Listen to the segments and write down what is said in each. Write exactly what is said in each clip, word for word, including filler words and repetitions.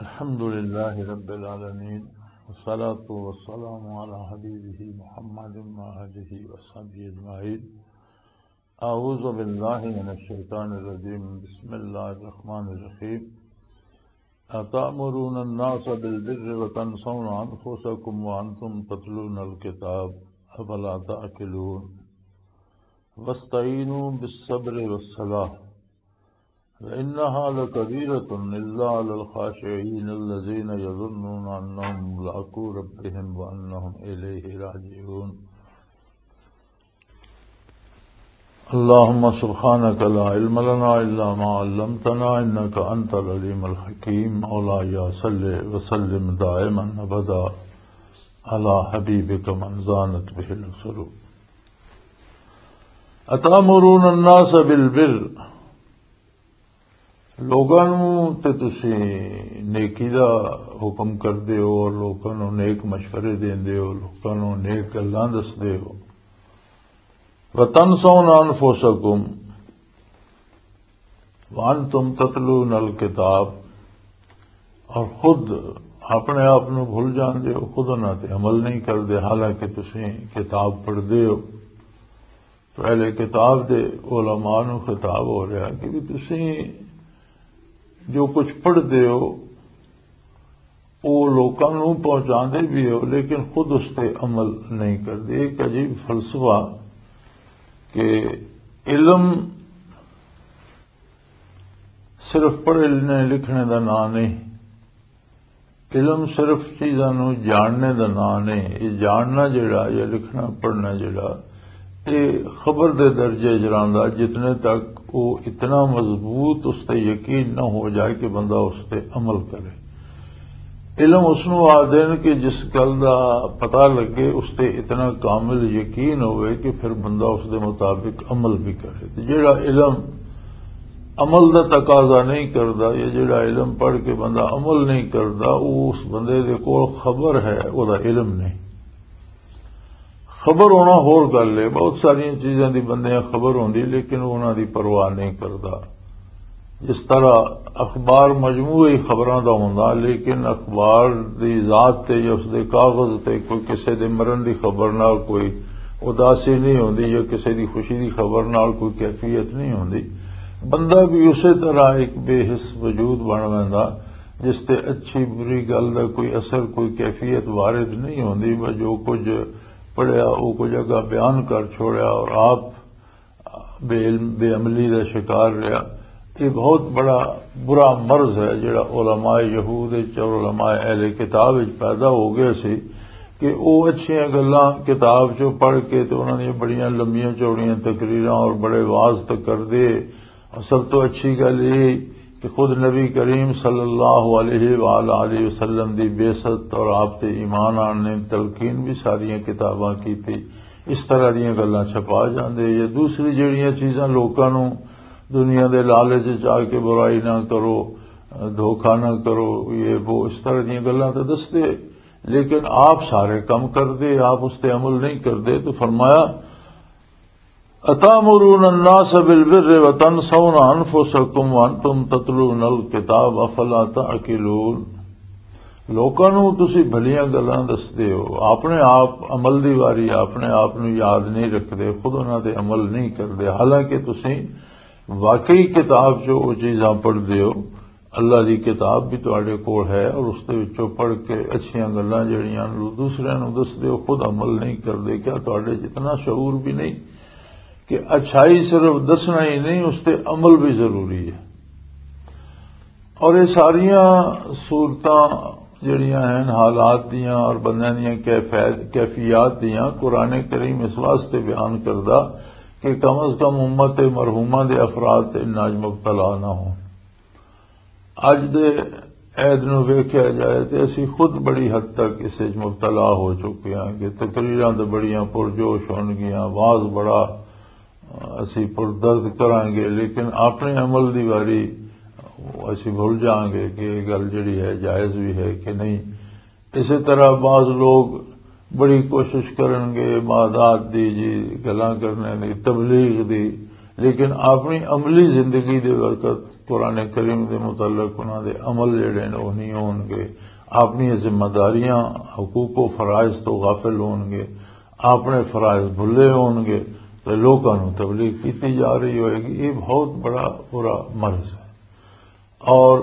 الحمد لله رب العالمين، والصلاة والسلام على حبيبه محمد وآله وصحبه أجمعين. أعوذ بالله من الشيطان الرجيم. بسم الله الرحمن الرحيم. أتأمرون الناس بالبر وتنسون أنفسكم وأنتم تتلون الكتاب، أفلا تعقلون؟ واستعينوا بالصبر والصلاة، وإنها لكبيرة إلا على الخاشعين الذين يظنون أنهم ملاقو ربهم وأنهم إليه راجعون. اللهم سبحانك لا علم لنا إلا ما علمتنا إنك أنت العليم الحكيم. مولاي صل وسلم دائما أبدا على حبيبك من زانت به العصر. أتأمرون الناس بالبر، لوگاں نوں تے تسی نیکی دا حکم کردے ہو، لوکاں نوں نیک مشورے دیندے ہو، لوکاں نوں نیک گلاں دسدے ہو۔ وتنسون انفسکم وانتم تتلون الکتاب، اور خود اپنے آپ نوں بھول جاندے ہو، خود انہاں تے عمل نہیں کردے، حالانکہ تسی کتاب پڑھدے ہو۔ تو اہل کتاب دے علماء نوں خطاب ہو رہا کہ بھی تسی جو کچھ پڑھدے ہو، وہ لوکاں نوں پہنچاندے بھی ہو، لیکن خود اس تے عمل نہیں کردے۔ ایک عجیب فلسفہ کہ علم صرف پڑھنے لکھنے دا نام نہیں، علم صرف چیزاں نوں جاننے دا نام نہیں۔ یہ جاننا جڑا یا لکھنا پڑھنا جڑا، یہ خبر دے درجے چ رہندا، جتنے تک وہ اتنا مضبوط اس تے یقین نہ ہو جائے کہ بندہ اس تے عمل کرے۔ علم اس نوں آدھے نے کہ جس گل دا پتہ لگے، اس تے اتنا کامل یقین ہوئے کہ پھر بندہ اس دے مطابق عمل بھی کرے۔ تے جڑا علم عمل دا تقاضا نہیں کردا، یا جڑا علم پڑھ کے بندہ عمل نہیں کردا، وہ اس بندے دے کول خبر ہے، وہ دا علم نہیں۔ خبر ہونا ہور گل ہے، بہت ساریاں چیزاں دی بندیاں خبر ہوندی، لیکن وہ انہاں دی پرواہ نہیں کردا۔ جس طرح اخبار مجموعی خبراں دا ہوندا، لیکن اخبار دی ذات تے یا اس دے کاغذ تے کوئی کسے دے مرن دی خبر نال کوئی اداسی نہیں ہوندی، یا کسے دی خوشی دی خبر نال کوئی کیفیت نہیں ہوندی۔ بندہ بھی اسی طرح ایک بے حس وجود بن ویندا، جس تے اچھی بری گل دا کوئی اثر، کوئی کیفیت وارد نہیں ہوندی۔ بس جو کچھ پڑھیا، وہ کچھ اگا بیان کر چھوڑیا اور آپ بے علم، بے عملی دا شکار رہیا۔ یہ بہت بڑا برا مرض ہے جڑا علماء یہود وچ اور علماء اہل کتاب وچ پیدا ہو گیا سی کہ وہ اچھیاں گلاں کتاب چوں پڑھ کے تے انہاں دیاں بڑیاں لمبیاں چوڑیاں تقریراں اور بڑے وعظ تے کردے۔ اور سب تو اچھی گل یہ کہ خود نبی کریم صلی اللہ علیہ وآلہ وسلم دی بعثت اور آپ تے ایمان آنے تلقین بھی ساریاں کتاباں کیتی۔ اس طرح دیاں گلاں چھپا جاندے۔ یا دوسری جڑیاں چیزاں لوکاں نوں دنیا دے لالچ وچ آ کے برائی نہ کرو، دھوکا نہ کرو، یہ وہ اس طرح دیاں گلاں تے دسدے، لیکن آپ سارے کم کردے، آپ اس تے عمل نہیں کردے۔ تو فرمایا، "اتامرون الناس بالبر وتنسون انفسکم وانتم تتلون الکتاب افلا تعقلون۔" لوکاں نوں تسی بھلیاں گلاں دسدے ہو، اپنے آپ عمل دی واری اپنے آپ نوں یاد نہیں رکھدے، خود انہاں تے عمل نہیں کردے، حالانکہ تسی واقعی کتاب چوں او چیزاں پڑھدے ہو۔ اللہ دی کتاب بھی تواڈے کول ہے اور اس دے وچوں پڑھ کے اچھیاں گلاں جڑیاں نوں دوسریاں نوں دسدے ہو، خود عمل نہیں کردے۔ کیا تواڈے جتنا شعور بھی نہیں کہ اچھائی صرف دسنا ہی نہیں، اس تے عمل بھی ضروری ہے؟ اور یہ ساریاں صورتاں جڑیاں ہیں حالات دیاں اور بندیاں دیاں کیفیت، کیفیات دیاں قرآن کریم اس واسطے بیان کردا کہ کم از کم امت مرحومہ دے افراد تے اناج مبتلا نہ ہوں۔ اج دے عید نوں ویکھیا جائے تے اسی خود بڑی حد تک اس وچ مبتلا ہو چکے ہاں کہ تقریراں تے بڑیاں پرجوش ہون گیاں، واز بڑا اسی پردرد کراں گے، لیکن اپنے عمل دی واری اسی بھول جاؤں گے کہ یہ گل جڑی ہے جائز بھی ہے کہ نہیں۔ اسی طرح بعض لوگ بڑی کوشش کرن گے عبادات دی، جی، گلاں کرنے دی، تبلیغ دی، لیکن اپنی عملی زندگی دے وقت قرآن کریم دے متعلق انہاں دے عمل جڑے نے، وہ نہیں ہون گے۔ اپنی ذمہ داریاں، حقوق و فرائض تو غافل ہون گے، اپنے فرائض بھلے ہون گے، تو لوکاں نوں تبلیغ کیتی جا رہی ہوئے گی۔ یہ بہت بڑا برا مرض ہے۔ اور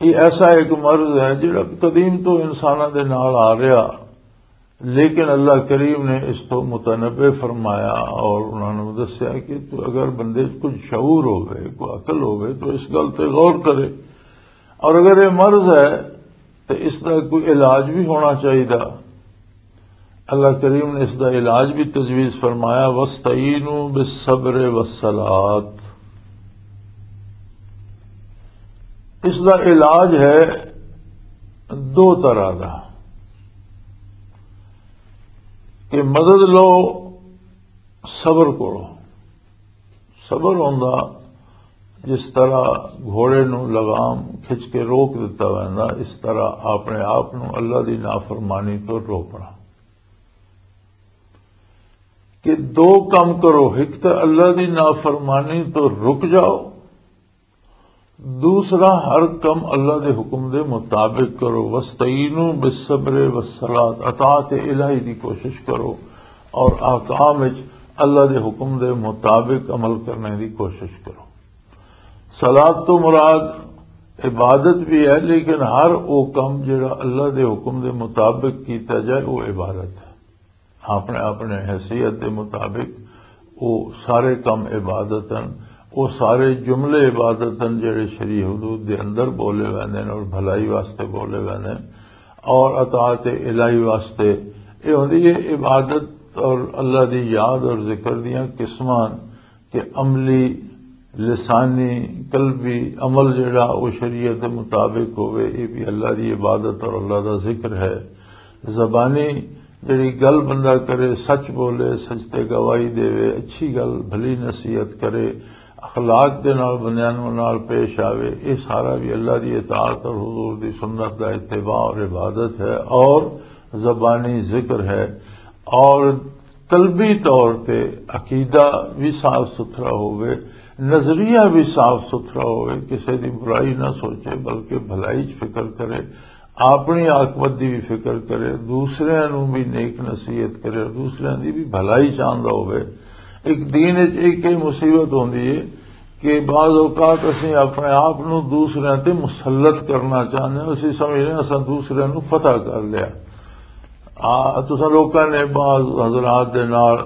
یہ ایسا ایک مرض ہے جڑا قدیم تو انساناں دے نال آ رہا، لیکن اللہ کریم نے اس تو متنبع فرمایا اور انہوں نے دسیا کہ تو اگر بندے 'چ کچھ شعور ہوے، کوئی عقل ہوے، تو اس گل تے غور کرے۔ اور اگر یہ مرض ہے تو اس دا کوئی علاج بھی ہونا چاہیے۔ اللہ کریم نے اس دا علاج بھی تجویز فرمایا، "وَاسْتَعِينُوا بِالصَّبْرِ وَالصَّلَاةِ۔" اس دا علاج ہے دو طرح دا، کہ مدد لو صبر کو۔ صبر ہوندا جس طرح گھوڑے نو لگام کھچ کے روک دتا ویندا، اس طرح اپنے آپ نو اللہ دی نافرمانی تو روکنا۔ کہ دو کم کرو، ایک تو اللہ دی نافرمانی تو رک جاؤ، دوسرا ہر کم اللہ دے حکم دے مطابق کرو۔ "وَاسْتَعِينُوا بِالصَّبْرِ وَالصَّلَاةِ"، اطاعت الہی دی کوشش کرو اور احکام وچ اللہ دے حکم دے مطابق عمل کرنے دی کوشش کرو۔ صلات تو مراد عبادت بھی ہے، لیکن ہر او کم جڑا اللہ دے حکم دے مطابق کیتا جائے، وہ عبادت ہے۔ اپنے اپنے حیثیت دے مطابق وہ سارے کم عبادت ہیں، وہ سارے جملے عبادت ہیں جڑے شریع حدود دے اندر بولے ویندے ہیں اور بھلائی واسطے بولے ویندے ہیں اور اطاعت الہی واسطے۔ یہ ہوندی ہے عبادت اور اللہ دی یاد اور ذکر دیاں قسمان، کہ عملی، لسانی، قلبی عمل جڑا وہ شریعت دے مطابق ہوئے، یہ بھی اللہ دی عبادت اور اللہ دا ذکر ہے۔ زبانی جڑی گل بندہ کرے، سچ بولے، سچ تے گواہی دے، اچھی گل، بھلی نصیحت کرے، اخلاق دے نال بندیاں نوں نال پیش آوے، یہ سارا بھی اللہ دی اطاعت اور حضور دی سنت دا اتباع اور عبادت ہے اور زبانی ذکر ہے۔ اور قلبی طور تے عقیدہ بھی صاف ستھرا ہوئے، نظریہ بھی صاف ستھرا ہوئے، کسے دی برائی نہ سوچے بلکہ بھلائی چ فکر کرے، اپنی عاقبت دی بھی فکر کرے، دوسریاں نوں بھی نیک نصیحت کرے، دوسریاں دی بھی بھلائی چاہندا ہوئے۔ ایک دین وچ ایک یہ مصیبت ہوندی ہے کہ بعض اوقات اسی اپنے آپ نوں دوسریاں تے مسلط کرنا چاہندے ہیں، اسی سمجھنے ہیں اساں دوسریاں نوں فتح کر لیا۔ آ، تساں لوکاں نے بعض حضرات دے نال،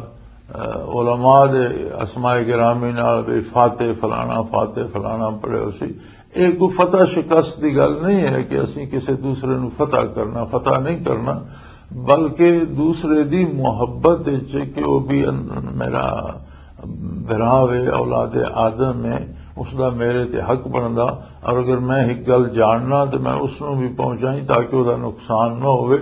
آ، علماء دے اسماء گرامی نال بھی فاتح فلانا، فاتح فلانا پڑھے ہو سی۔ یہ کوئی فتح شکست دی گل نہیں ہے کہ اسی کسی دوسرے نو فتح کرنا، فتح نہیں کرنا، بلکہ دوسرے دی محبت وچ کہ وہ بھی ان-، میرا بھرا وے، اولاد آدم ہے، اس دا میرے تے حق بندا، اور اگر میں ایک گل جاننا تو میں اس نو بھی پہنچائیں تاکہ وہ دا نقصان نہ ہوئے۔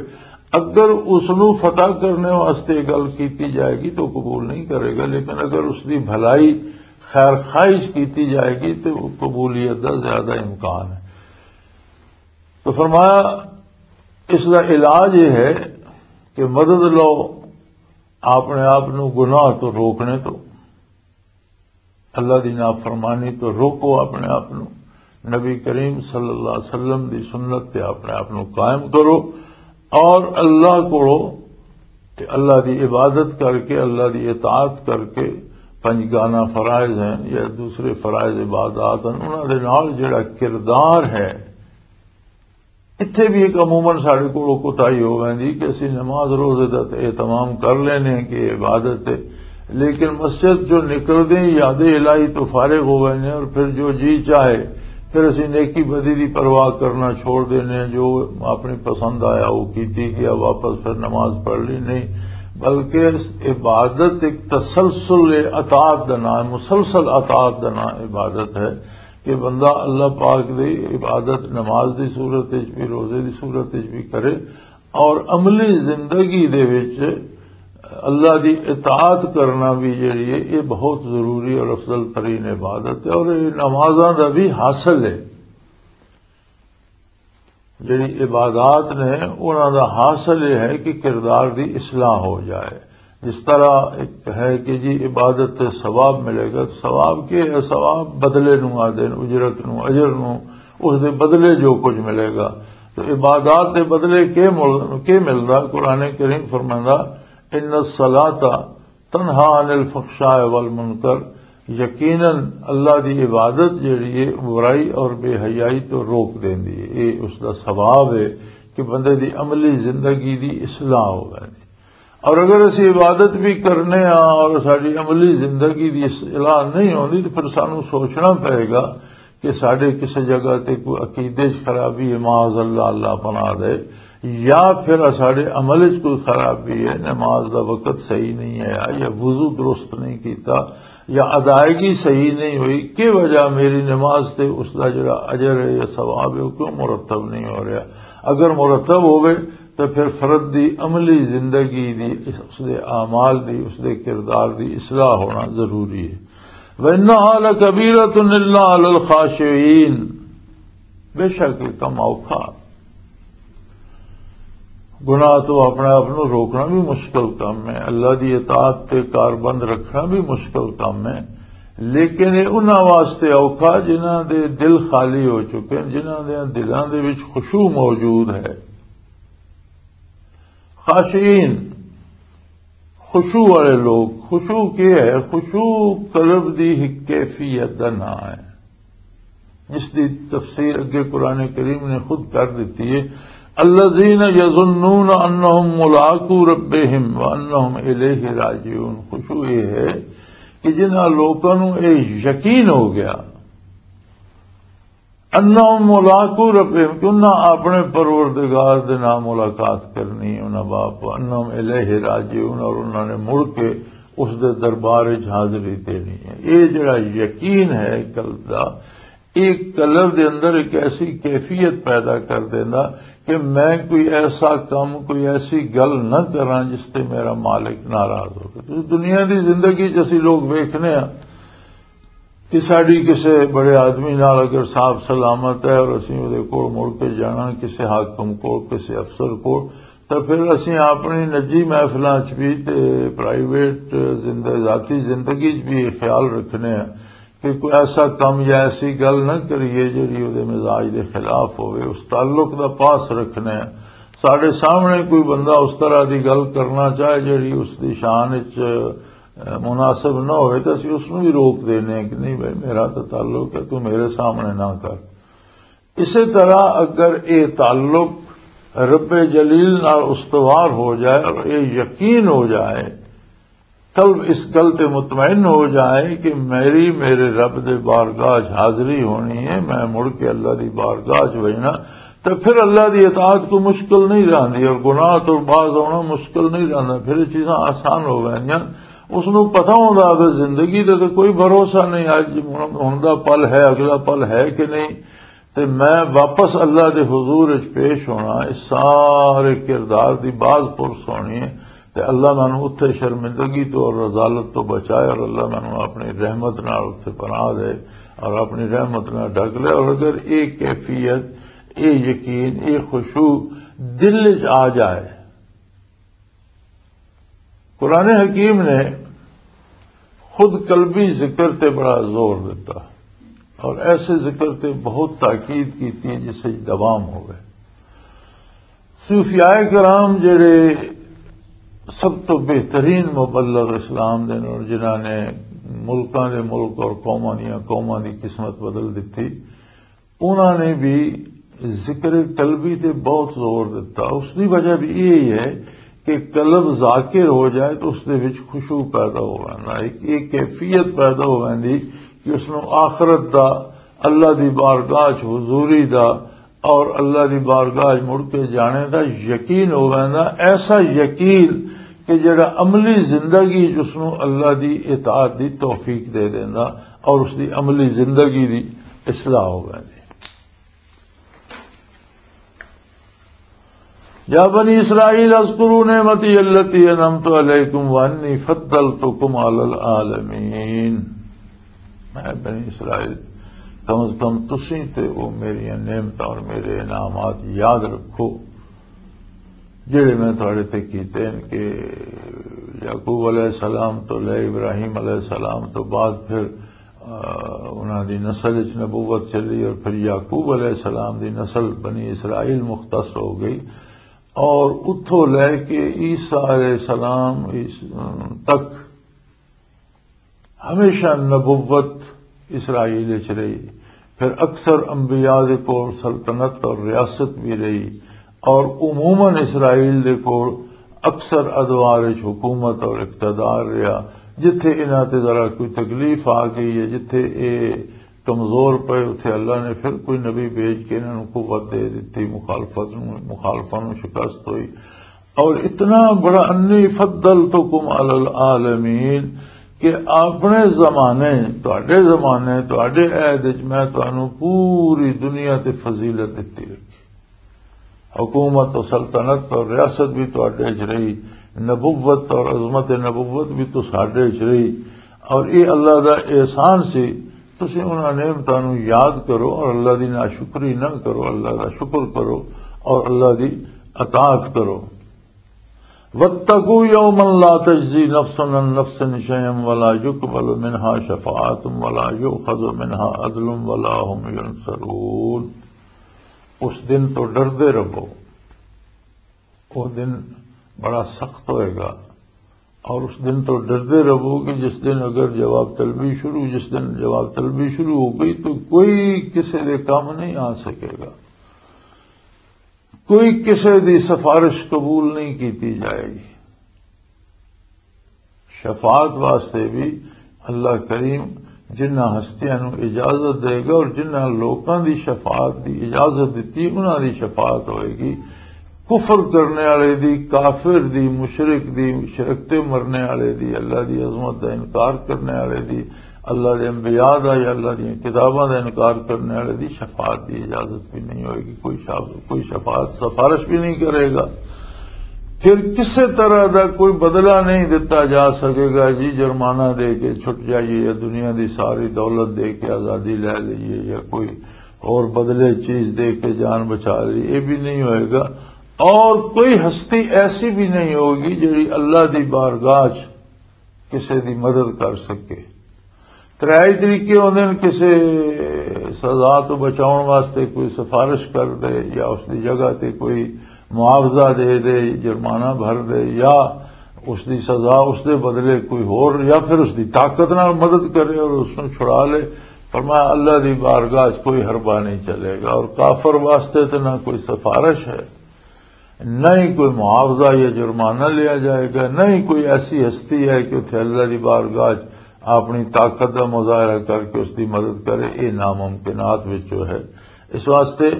اگر اس نو فتح کرنے واسطے گل کیتی جائے گی تو قبول نہیں کرے گا، لیکن اگر اس دی بھلائی، خیر خواہش کیتی جائے گی تو قبولیت دا زیادہ امکان ہے۔ تو فرمایا، اس دا علاج یہ ہے کہ مدد لو اپنے آپ نو گناہ تو روکنے تو، اللہ دی نافرمانی تو روکو اپنے آپ نو۔ نبی کریم صلی اللہ علیہ وسلم دی سنت تے اپنے آپ نو قائم کرو اور اللہ کو، اللہ دی عبادت کر کے، اللہ دی اطاعت کر کے، پنج گانا فرائض ہیں یا دوسرے فرائض عبادات ہیں، انہاں دے نال جڑا کردار ہے، اتھے بھی ایک عموماً ساڈے کولوں کوتاہی ہو ویندی کہ اسی نماز روزے دا تے اہتمام کر لینے ہیں کہ یہ عبادت ہے، لیکن مسجد جو نکلدے ہیں یاد الہی تو فارغ ہو ویندے ہیں، اور پھر جو جی چاہے، پھر اسی نیکی بدی دی پرواہ کرنا چھوڑ دینے ہیں، جو اپنی پسند آیا وہ کیتی گیا، واپس پھر نماز پڑھ لی نہیں، بلکہ اس عبادت ایک تسلسل اطاعت دا نام ہے، مسلسل اطاعت دا نام عبادت ہے۔ کہ بندہ اللہ پاک دی عبادت نماز دی صورت وچ بھی، روزے دی صورت وچ بھی کرے، اور عملی زندگی دے وچ اللہ دی اطاعت کرنا بھی جڑی ہے، یہ بہت ضروری اور افضل ترین عبادت ہے، اور یہ نمازاں دا بھی حاصل ہے۔ جڑی عبادات نے، انہاں دا حاصل یہ ہے کہ کردار دی اصلاح ہو جائے، جس طرح ایک ہے کہ جی عبادت تے ثواب ملے گا، تو ثواب کی ہے؟ ثواب بدلے نو آدھے نے، اجرت نو، اجر نو، اس دے بدلے جو کچھ ملے گا۔ تو عبادات دے بدلے کے مل-، کے ملدا؟ قرآن کریم فرماندا، "ان الصلاۃ تنہا عن الفحشاء والمنکر"، یقیناً اللہ دی عبادت جڑی ہے، برائی اور بے حیائی تو روک دیندی ہے۔ یہ اس دا ثواب ہے کہ بندے دی عملی زندگی دی اصلاح ہو ویندی۔ اور اگر اسی عبادت بھی کرنے ہاں اور ساری عملی زندگی دی اصلاح نہیں ہوندی، تو پھر سانو سوچنا پئے گا کہ ساڈے کسے جگہ تے کوئی عقیدے چ خرابی ہے، معاذ اللہ، اللہ پناہ دے، یا پھر ساڈے عمل چ کوئی خرابی ہے، نماز دا وقت صحیح نہیں آیا، یا وضو درست نہیں کیتا، یا ادائیگی صحیح نہیں ہوئی، کی وجہ میری نماز تے اس دا جڑا اجر ہے یا ثواب ہے، وہ کیوں مرتب نہیں ہو رہا؟ اگر مرتب ہوئے تو پھر فرد دی عملی زندگی دی، اس دے اعمال دی، اس دے کردار دی اصلاح ہونا ضروری ہے۔ وَإِنَّهَا لَكَبِيرَةٌ إِلَّا عَلَى الْخَاشِعِينَ، بے شک یہ کم اوکھا۔ گناہ تو اپنے آپ نو روکنا بھی مشکل کم ہے، اللہ دی اطاعت تے کاربند رکھنا بھی مشکل کم ہے، لیکن یہ انہاں واسطے اوکھا جنہاں دے دل خالی ہو چکے ہیں، جنہاں دے دلاں دے وچ خشوع موجود ہے۔ خاشعین، خشوع والے لوگ۔ خشوع کیا ہے؟ خشوع قلب دی ایک کیفیت دا نام ہے، جس دی تفسیر اگے قرآن کریم نے خود کر دیتی ہے، "الذین یظنون انہم ملاقو ربہم وانہم الیہ راجعون۔" خشوع یہ ہے کہ جنہاں لوکاں نوں یہ یقین ہو گیا، انہم ملاقو ربہم، کہ انہاں اپنے پروردگار دے نال ملاقات کرنی، انہاں باپ، انہم الیہ راجعون، اور انہاں نے مڑ کے اس دے دربار وچ حاضری دینی ہے۔ یہ جڑا یقین ہے قلب دا، یہ قلب دے اندر ایک ایسی کیفیت پیدا کر دیندا کہ میں کوئی ایسا کم، کوئی ایسی گل نہ کراں جس تے میرا مالک ناراض ہوگا۔ تو دنیا دی زندگی جس لوگ ویکھنے ہاں، کہ ساڈی کسے بڑے آدمی نال اگر صاحب سلامت ہے اور اسی اودے کول مڑ کے جانا، کسے حاکم کول، کسے افسر کول، تو پھر اسی اپنی نجی محفلاں چ بھی تے پرائیویٹ زندہ، ذاتی زندگی چ بھی یہ خیال رکھنے ہیں کہ کوئی ایسا کم یا ایسی گل نہ کریے جڑی اودے مزاج دے خلاف ہوئے۔ اس تعلق دا پاس رکھنے ہیں۔ ساڈے سامنے کوئی بندہ اس طرح دی گل کرنا چاہے جڑی اس دی شان وچ مناسب نہ ہوئے تو اسی اس نوں بھی روک دینے ہیں کہ نہیں بھائی، میرا تو تعلق ہے، تو میرے سامنے نہ کر۔ اسی طرح اگر یہ تعلق رب جلیل نال استوار ہو جائے اور یہ یقین ہو جائے، قلب اس گل تے مطمئن ہو جائے کہ میری، میرے رب دے بارگاہ چ حاضری ہونی ہے، میں مڑ کے اللہ دی بارگاہ چ وجنا، تو پھر اللہ دی اطاعت کو مشکل نہیں رہندی اور گناہ تو باز ہونا مشکل نہیں رہندا، پھر یہ چیزاں آسان ہو گئیاں۔ اس نوں پتہ ہوندا ہے زندگی دا تے کوئی بھروسہ نہیں، اج ہن دا پل ہے، اگلا پل ہے کہ نہیں، تے میں واپس اللہ دے حضور وچ پیش ہونا، اس سارے کردار دی باز پرس ہونی ہے۔ تے اللہ مینوں اتھے شرمندگی تو اور رذالت تو بچائے، اور اللہ مینوں اپنی رحمت نال اتھے پناہ دے اور اپنی رحمت نال ڈھک لے۔ اور اگر یہ کیفیت، یہ یقین، یہ خشوع دل وچ آ جائے، قرآن حکیم نے خود قلبی ذکر تے بڑا زور دیتا اور ایسے ذکر تے بہت تاکید کیتی ہے جس وچ دوام ہوئے۔ صوفیاء کرام جڑے سب تو بہترین مبلغ اسلام دے نے اور جنہاں نے ملکاں دے ملک اور قوماں دیاں قوماں دی قسمت بدل دتی، انہاں نے بھی ذکر قلبی تے بہت زور دیتا۔ اس دی وجہ بھی یہی ہے کہ قلب ذاکر ہو جائے تو اس دے وچ خشوع پیدا ہو ویندا، ایک، ایک کیفیت پیدا ہو ویندی کہ اس نوں آخرت دا، اللہ دی بارگاہ چ حضوری دا اور اللہ دی بارگاہ چ مڑ کے جانے دا یقین ہو ویندا، ایسا یقین کہ جڑا عملی زندگی چ اس نوں اللہ دی اطاعت دی توفیق دے دیندا اور اس دی عملی زندگی دی اصلاح ہو ویندی۔ یا بنی اسرائیل اذکروا نعمتی التی انعمت علیکم وانی فضلتکم علی العالمین۔ اے بنی اسرائیل، کم از کم تسی تے او میری نعمتاں اور میرے انعامات یاد رکھو۔ جڑے میں تھوڑے تے کیتے ہیں کہ یعقوب علیہ السلام تو لے ابراہیم علیہ السلام تو بعد پھر، آ، انہاں دی نسل وچ نبوت چلی اور پھر یعقوب علیہ السلام دی نسل بنی اسرائیل مختص ہو گئی، اور اتھوں لے کے عیسیٰ علیہ السلام اس، تک ہمیشہ نبوت اسرائیل وچ رہی۔ پھر اکثر انبیاء دے کول سلطنت اور ریاست بھی رہی، اور عموماً اسرائیل دے کول اکثر ادوار وچ حکومت اور اقتدار رہا۔ جتھے انہاں تے ذرا کوئی تکلیف آ گئی ہے، جتھے اے کمزور پئے، اتھے اللہ نے پھر کوئی نبی بھیج کے انہاں نوں قوت دے دتی، مخالفت نوں، مخالفاں نوں شکست ہوئی۔ اور اتنا بڑا، "انی فضلتکم علی العالمین"، کہ اپنے زمانے، تہاڈے زمانے، تہاڈے عہد وچ میں تانوں پوری دنیا تے فضیلت دتی رکھی۔ حکومت و سلطنت اور ریاست بھی تہاڈے وچ رہی، نبوت اور عظمت نبوت بھی تہاڈے وچ رہی، اور یہ اللہ دا احسان سی۔ تسی انہاں نعمتاں نوں یاد کرو اور اللہ دی ناشکری نہ کرو، اللہ دا شکر کرو اور اللہ دی اطاعت کرو۔ واتقوا يوما لا تجزي نفس عن نفس شيئا ولا يقبل منها شفاعة ولا يؤخذ منها عدل ولا هم ينصرون۔ اس دن تو ڈردے رہو۔ وہ دن بڑا سخت ہوئے گا، اور اس دن تو ڈردے رہو کہ جس دن اگر جواب طلبی شروع، جس دن جواب طلبی شروع ہو گئی تو کوئی کسی دے کام نہیں آ سکے گا، کوئی کسی دی سفارش قبول نہیں کیتی جائے گی۔ شفاعت واسطے بھی اللہ کریم جنہاں ہستیاں نوں اجازت دے گا اور جنہاں لوکاں دی شفاعت دی اجازت دتی، انہاں دی شفاعت ہوئے گی۔ کفر کرنے والے دی، کافر دی، مشرک دی، شرک تے مرنے والے دی، اللہ دی عظمت دا انکار کرنے والے دی، اللہ دے انبیاء دا یا اللہ دیاں کتاباں دا انکار کرنے والے دی شفاعت دی اجازت بھی نہیں ہوئے گی۔ کوئی شاف-، کوئی شفاعت، سفارش بھی نہیں کرے گا۔ پھر کسے طرح دا کوئی بدلہ نہیں دتا جا سکے گا جی، جرمانہ دے کے چھٹ جائیے یا دنیا دی ساری دولت دے کے آزادی لے لئیے یا کوئی اور بدلے چیز دے کے جان بچا لی، یہ بھی نہیں ہوئے گا۔ اور کوئی ہستی ایسی بھی نہیں ہوگی جڑی اللہ دی بارگاہ چ کسے دی مدد کر سکے۔ ترے طریقے ہوندے نے، کسے سزا تو بچاؤن واسطے کوئی سفارش کر دے یا اس دی جگہ تے کوئی معاوضہ دے دے، جرمانہ بھر دے، یا اس دی سزا اس دے بدلے کوئی ہور، یا پھر اس دی طاقت نال مدد کرے اور اس نوں چھڑا لے۔ فرمایا، اللہ دی بارگاہ چ کوئی حربہ نہیں چلے گا اور کافر واسطے تے نہ کوئی سفارش ہے، نہ ہی کوئی معاوضہ یا جرمانہ لیا جائے گا، نہ ہی کوئی ایسی ہستی ہے کہ اتھے اللہ دی بارگاہ چ اپنی طاقت دا مظاہرہ کر کے اس دی مدد کرے۔ یہ ناممکنات وچوں ہے۔ اس واسطے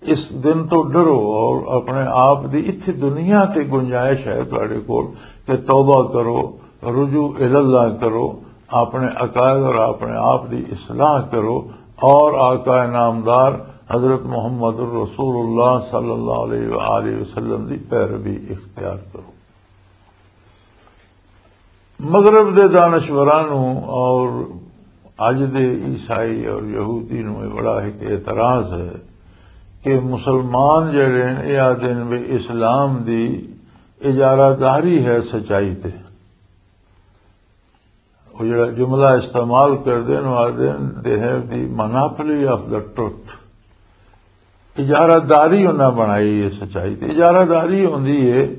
اس دن تو ڈرو اور اپنے آپ دی اتھی دنیا تے گنجائش ہے تہاڈے کول کہ توبہ کرو، رجوع الاللہ کرو، اپنے عقائد اور اپنے آپ دی اصلاح کرو، اور آقا نامدار حضرت محمد الرسول اللہ صلی اللہ علیہ وآلہ وسلم دی پیروی اختیار کرو۔ مغرب دے دانشوراں نوں اور اج دے عیسائی اور یہودی نوں یہ بڑا ایک اعتراض ہے کہ مسلمان جڑے ہیں، یہ آدھے نے بھی اسلام دی اجارہ داری ہے سچائی تے۔ وہ جڑا جملہ استعمال کردے نے، وہ آدھے نے، "They have the monopoly of the truth۔" اجارہ داری انہاں بنائی ہے سچائی تے۔ اجارہ داری ہوندی ہے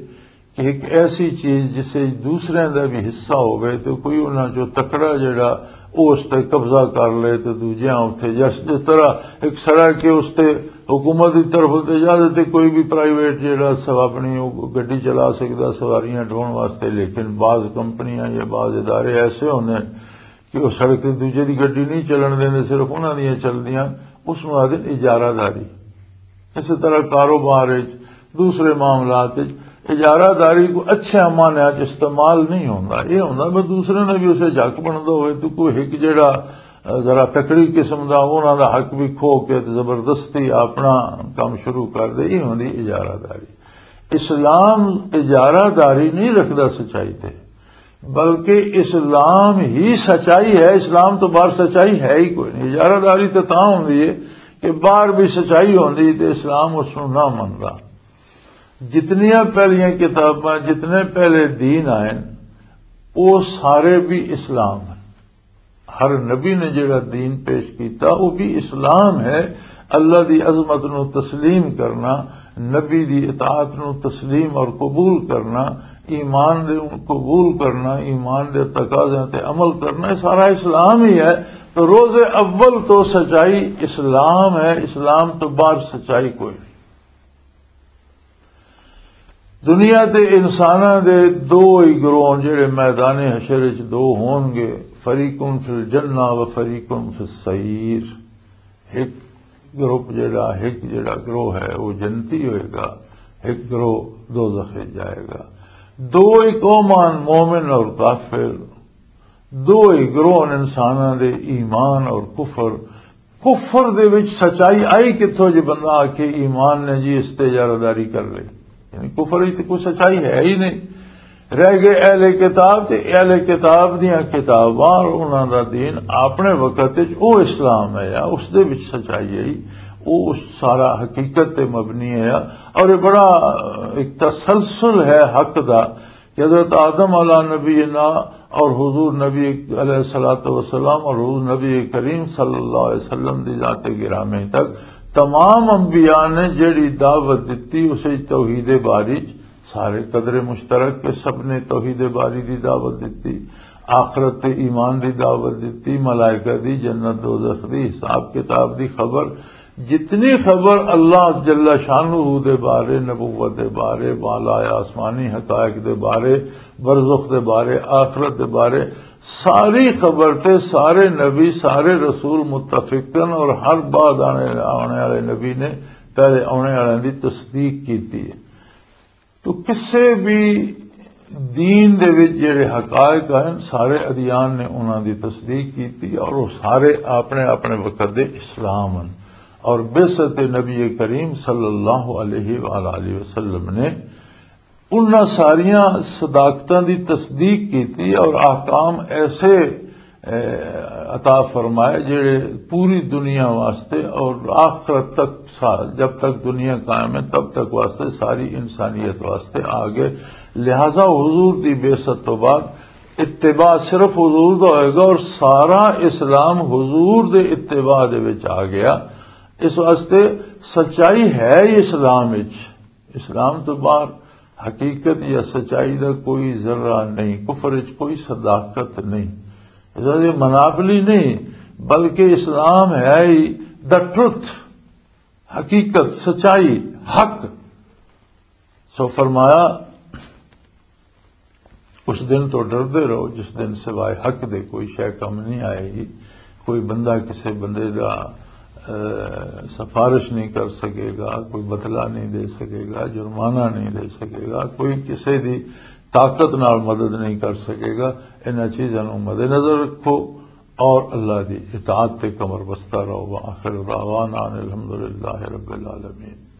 کہ ایک ایسی چیز جس وچ دوسرے دا بھی حصہ ہوئے تے کوئی انہاں چوں تکڑا جڑا او اس تے قبضہ کر لے تے دوجیاں اتھے، جس، جس طرح ایک سڑک کے اس تے حکومت دی طرف تے اجازت ہے کوئی بھی پرائیویٹ جڑا سو اپنی او گڈی چلا سکدا سواریاں ڈھون واسطے، لیکن بعض کمپنیاں یا بعض ادارے ایسے ہوندے ہیں کہ وہ سڑک تے دوجے دی گڈی نہیں چلن دیندے، صرف انہاں دیاں چلدیاں، اس نوں آدھے اجارہ داری۔ اسی طرح کاروبار وچ، دوسرے معاملات وچ اجارہ داری کو اچھے معنی وچ استعمال نہیں ہوندا۔ یہ ہوندا بس دوسرے نے بھی اسے جھک بندا ہوئے تو کوئی ایک جڑا، آ، ذرا تکڑی قسم دا، انہاں دا حق بھی کھو کے تے زبردستی اپنا کام شروع کر دے، یہ ہوندی اجارہ داری۔ اسلام اجارہ داری نہیں رکھدا سچائی تے، بلکہ اسلام ہی سچائی ہے، اسلام تو باہر سچائی ہے ہی کوئی نہیں۔ اجارہ داری تو تاں ہوندی ہے کہ باہر بھی سچائی ہوندی تے اسلام اس نوں نہ مندا۔ جتنیاں پہلیاں کتاباں، جتنے پہلے دین آئے، وہ سارے بھی اسلام ہیں۔ ہر نبی نے جڑا دین پیش کیتا، وہ بھی اسلام ہے۔ اللہ دی عظمت نو تسلیم کرنا، نبی دی اطاعت نو تسلیم اور قبول کرنا، ایمان دے قبول کرنا، ایمان دے تقاضیاں تے عمل کرنا، یہ سارا اسلام ہی ہے۔ تو روز اول تو سچائی اسلام ہے، اسلام تو باہر سچائی کوئی نہیں۔ دنیا تے انساناں دے دو ہی گروہ جڑے میدان حشر وچ دو ہون گے، فریقن فی الجنہ و فریقن فی السعیر۔ ایک گروپ جڑا، ایک جڑا گروہ ہے، وہ جنتی ہوئے گا، ایک گروہ دوزخ وچ جائے گا۔ دو ہی قومان، مومن اور کافر، دو ہی گروہ انساناں دے، ایمان اور کفر۔ کفر دے وچ سچائی آئی کتھوں؟ جے بندہ آکھے ایمان نے جی اس تے اجارہ داری کر لئی، یعنی کفر وچ تے کوئی سچائی ہے ہی نہیں۔ رہ گئے اہل کتاب، تے اہل کتاب دیاں کتاباں اور انہاں دا دین اپنے وقت وچ او اسلام ہے یا اس دے وچ سچائی ہے، او سارا حقیقت تے مبنی ہے۔ اور یہ بڑا ایک تسلسل ہے حق دا، کہ حضرت آدم علیہ نبینا اور حضور نبی علیہ الصلوۃ والسلام اور حضور نبی کریم صلی اللہ علیہ وسلم دی ذات گرامی تک تمام انبیاء نے جڑی دعوت دتی، اسے توحید باری۔ سارے قدر مشترک کہ سب نے توحید باری دی دعوت دتی، آخرت تے ایمان دی دعوت دتی، ملائکہ دی، جنت دوزخ دی، حساب کتاب دی خبر۔ جتنی خبر اللہ جل شانہ دے بارے، نبوت دے بارے، بالا آسمانی حقائق دے بارے، برزخ دے بارے، آخرت دے بارے، ساری خبر تے سارے نبی، سارے رسول متفقن اور ہر بعد آنے، آنے والے نبی نے پہلے آنے والے دی تصدیق کیتی ہے۔ تو کسے بھی دین دے وچ جڑے حقائق ہیں، سارے ادیان نے انہاں دی تصدیق کیتی اور وہ سارے اپنے اپنے وقت دے اسلام ہیں۔ اور بعثت نبی کریم صلی اللہ علیہ وآلہ وسلم نے انہاں ساریاں صداقتاں دی تصدیق کیتی اور احکام ایسے اے، عطا فرمائے، جڑے پوری دنیا واسطے اور آخرت تک سا-، جب تک دنیا قائم ہے، تب تک واسطے ساری انسانیت واسطے آ گئے۔ لہذا حضور دی بعثت تو بعد اتباع صرف حضور دا ہوئے گا اور سارا اسلام حضور دے اتباع دے وچ آ گیا۔ اس واسطے سچائی ہے ہی اسلام وچ۔ اسلام تو باہر حقیقت یا سچائی دا کوئی ذرہ نہیں، کفر وچ کوئی صداقت نہیں، اس واسطے مناپلی نہیں، بلکہ اسلام ہے ہی دا ٹروتھ، حقیقت، سچائی، حق۔ سو فرمایا، اس دن تو ڈردے رہو جس دن سوائے حق دے کوئی شے کم نہیں آئے گی۔ کوئی بندہ کسے بندے دا، اے، سفارش نہیں کر سکے گا، کوئی بدلہ نہیں دے سکے گا، جرمانہ نہیں دے سکے گا، کوئی کسے دی طاقت نال مدد نہیں کر سکے گا۔ انہاں چیزاں نوں مد نظر رکھو اور اللہ دی اطاعت تے کمر بستہ رہو۔ وآخر دعوانا ان الحمدللہ رب العالمین۔